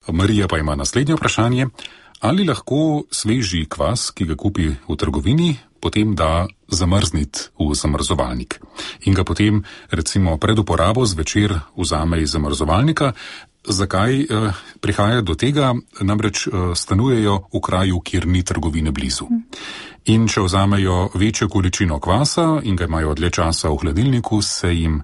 Marija pa ima naslednje vprašanje. Ali lahko sveži kvas, ki ga kupi v trgovini, potem da zamrzniti v zamrzovalnik in ga potem recimo pred uporabo zvečer vzame iz zamrzovalnika? Zakaj prihaja do tega? Namreč stanujejo v kraju, kjer ni trgovine blizu. In če vzamejo večjo količino kvasa in ga imajo dlje časa v hladilniku, se jim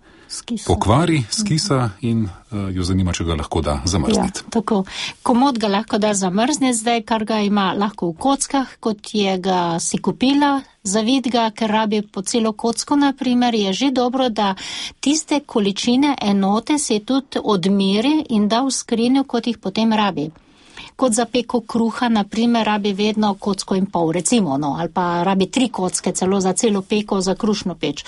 pokvari, skisa in jo zanima, če ga lahko da zamrzniti. Ja, tako. Komod ga lahko da zamrzniti zdaj, kar ga ima lahko v kockah, kot je ga si kupila, zavid ga, ker rabi po celo kocko, naprimer, je že dobro, da tiste količine enote se tudi odmeri in da v skrinjo, kot jih potem rabi. Kot za peko kruha, naprimer, rabi vedno kocko in pol, recimo, ali pa rabi 3 kocke celo za celo peko, za krušno peč.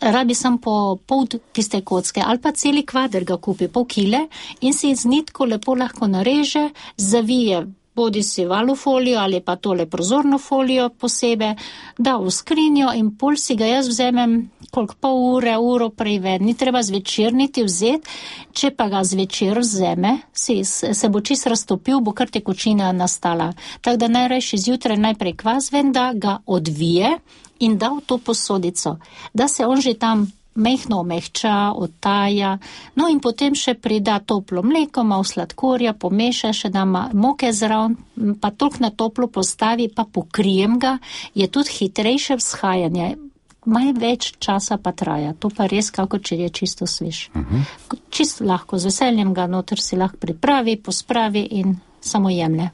Rabi sam po pol tiste kocke ali pa celi kvader ga kupi, pol kile in si z nitko lepo lahko nareže, zavije bodi si valufolijo ali pa tole prozorno folijo posebej, da v skrinjo in pol si ga jaz vzemem koliko pol ure, uro prej ven. Ni treba zvečer niti vzeti, če pa ga zvečer vzeme, se bo čist raztopil, bo kar tekočina nastala. Tako da najrajši zjutraj najprej kvas ven, da ga odvije in da v to posodico, da se on že tam mehno omehča, odtaja, no in potem še prida toplo mleko, malo sladkorja, pomeša, še da moke zraven, pa toliko na toplo postavi, pa pokrijem ga, je tudi hitrejše vzhajanje, malo več časa pa traja, to pa res kako če je čisto svež. Čisto lahko, z veseljem ga noter si lahko pripravi, pospravi in samo jemlje.